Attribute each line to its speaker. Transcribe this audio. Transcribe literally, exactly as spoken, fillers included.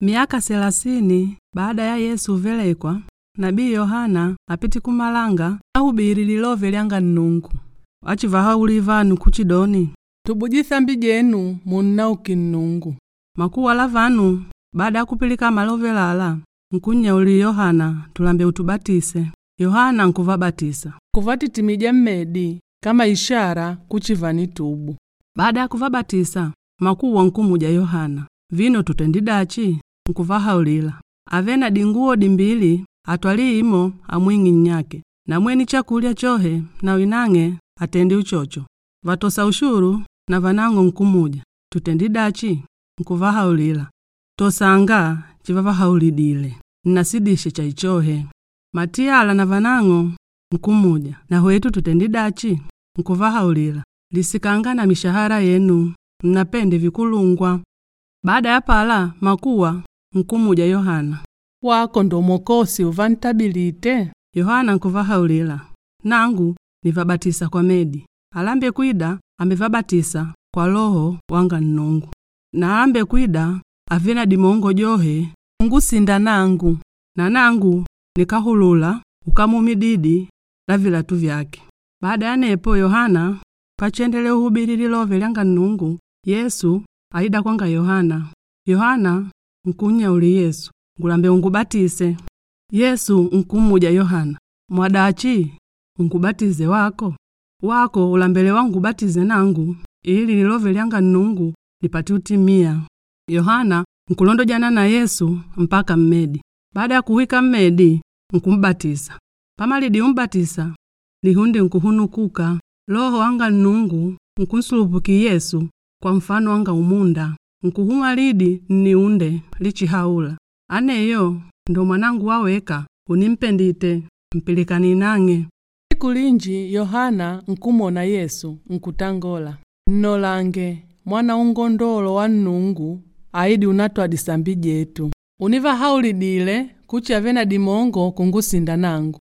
Speaker 1: Miaka selasini baada ya Yesu uvelekwa, Nabii Yohana apiti kumalanga ahubili lilove lyanga Nnungu. Achivahauli vanu kuchidoni,
Speaker 2: Tubuji sambi jenu munnauki Nnungu.
Speaker 1: Makuwa la vanu baada ya kupilika malove lala nkunnyauli Yohana tulambe utubatise. Yohana nkuvabatisa.
Speaker 2: Kuvatitimija mmedi kama ishara kuchi vanitubu.
Speaker 1: Baada ya kuvabatisa, makuwa nkumuja Yohana, vino tutendidachi? Nkuvahaulila, ave na dinguwo dimbili atwali imo amwing'i nnyake, na mweni chakulya chohe na winang'e atendi uchocho. Vatosa ushuru na vanang'o nkumuja, tutendidachi? Nkuvahaulila, tosanga chivavahaulidile, nnasidishe chaichohe. Matiyala na vanang'o nkumuja, na hwetu tutendidachi? Nkuvahaulila, lisikanga na mishahara yenu, nnapende vikulungwa. Baada ya pala makuwa nkumuja Yohana.
Speaker 2: Wako ndo Mwokosi uvantabilite?
Speaker 1: Yohana nkuvahaulila, nangu nivabatisa kwa medi. Alambe kwida amevabatisa kwa Loho wanga Nnungu. Na alambe kwida ave na dimongo johe ungusinda nangu. Na nangu nikahulula ukamumididi la vilatu vyake. Baada ya nepo Yohana pachendele uhubili lilove lyanga Nnungu, Yesu aida kwanga Yohana. Yohana nkunyauli Yesu, ngulambe ungubatise. Yesu nkumuja Yohana, mwadachi ungubatize wako? Wako ulambele wangubatize nangu ili lilove lyanga Nnungu lipate utimia. Yohana nkulondojana na Yesu mpaka mmedi. Baada ya kuhwika mmedi nkumbatisa. Pamalidi umbatisa lihundi nkuhunukuka. Loho wanga Nnungu nkunsulupuki Yesu kwa mfano wanga umunda. Nkuhuma lidi nniunde lichihaula, aneyo ndo mwanangu waweka unimpendite mpilikani nang'e.
Speaker 2: Siku linji Yohana nkumona Yesu nkutangola, nnolange mwana ungondolo wa Nnungu aidi unatwa disambi jetu. Univahaulidile kuchi ave na dimongo kungusinda nangu.